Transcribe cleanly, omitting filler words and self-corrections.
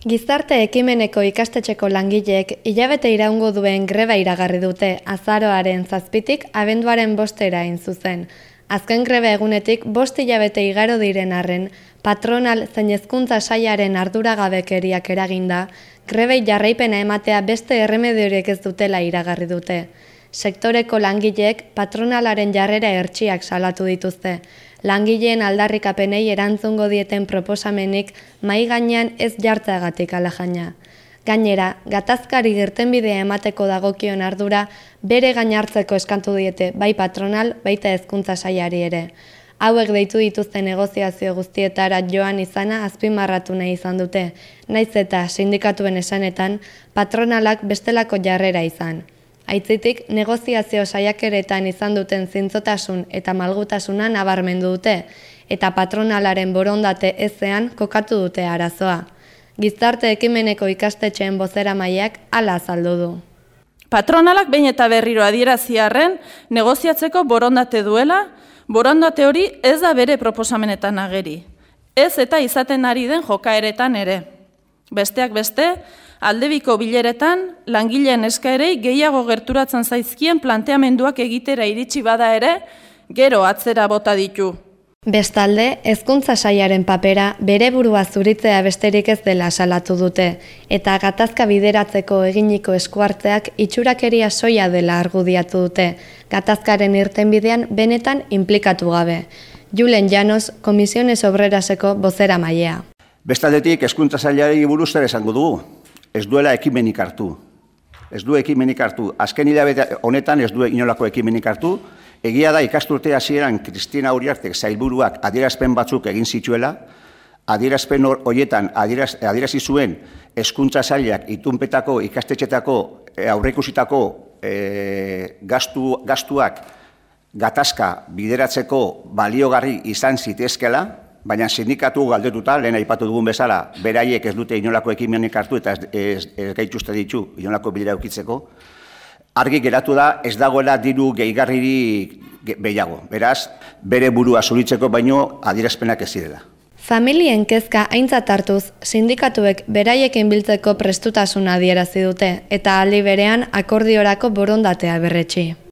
Gizarte ekimeneko ikastetxeko langileek hilabete iraungo duen greba iragarri dute azaroaren 7tik abenduaren 5era hain zuzen. Azken greba egunetik 5 hilabete igaro diren arren, patronal zein hezkuntza sailaren arduragabekeriak eraginda, grebei jarraipena ematea beste erremediorik ez dutela iragarri dute. Sektoreko langileek patronalaren jarrera hertsiak salatu dituzte. Langileen aldarrikapenei erantzungo dieten proposamenik mahai gainean ez jartzeagatik alajaina. Gainera, gatazkari irtenbidea emateko dagokion ardura bere gain hartzeko eskatu diete bai patronal, baita hezkuntza sailari ere. Hauek deitu dituzten negoziazio guztietara joan izana azpimarratu nahi izan dute, nahiz eta sindikatuen esanetan patronalak bestelako jarrera izan. Aitzitik, negoziazio saiakeretan izan duten zintzotasun eta malgutasuna nabarmendu dute, eta patronalaren borondate ezean kokatu dute arazoa. Gizarte ekimeneko ikastetxeen bozeramaileak hala azaldu du. Patronalak behin eta berriro adierazi arren negoziatzeko borondate duela, borondate hori ez da bere proposamenetan ageri. Ez eta izaten ari den jokaeretan ere. Besteak beste, aldebiko bileretan, langileen eskaerei gehiago gerturatzen zaizkien planteamenduak egitera iritsi bada ere, gero atzera bota ditu. Bestalde, hezkuntza sailaren papera bere burua zuritzea besterik ez dela salatu dute, eta gatazka bideratzeko eginiko eskuartzeak itxurakeria soila dela argudiatu dute, gatazkaren irtenbidean benetan inplikatu gabe. Julen Llanos, Comisiones Obreraseko bozeramailea. Bestaldetik, hezkuntza sailari buruz zer esango dugu. Ez duela ekimenik hartu. Ez du ekimenik hartu. Azken hilabete honetan ez du inolako ekimenik hartu. Egia da ikasturte hasieran Kristina Uriartek sailburuak adierazpen batzuk egin zituela. Adierazpen horietan adierazi zuen hezkuntza sailak itunpetako ikastetxetako aurreikusitako gastuak gatazka bideratzeko baliogarri izan zitezkela. Baina sindikatu galdetuta, lehen aipatu dugun bezala, beraiek ez dute inolako ekimenik hartu eta ez gaituzte ditu inolako bilera eukitzeko. Argi geratu da ez dagoela diru gehigarririk gehiago. Beraz, bere burua zuritzeko baino adierazpenak ez direla. Familien kezka aintzat hartuz, sindikatuek beraiekin biltzeko prestutasuna adierazi dute eta aldi berean akordiorako borondatea berretsi.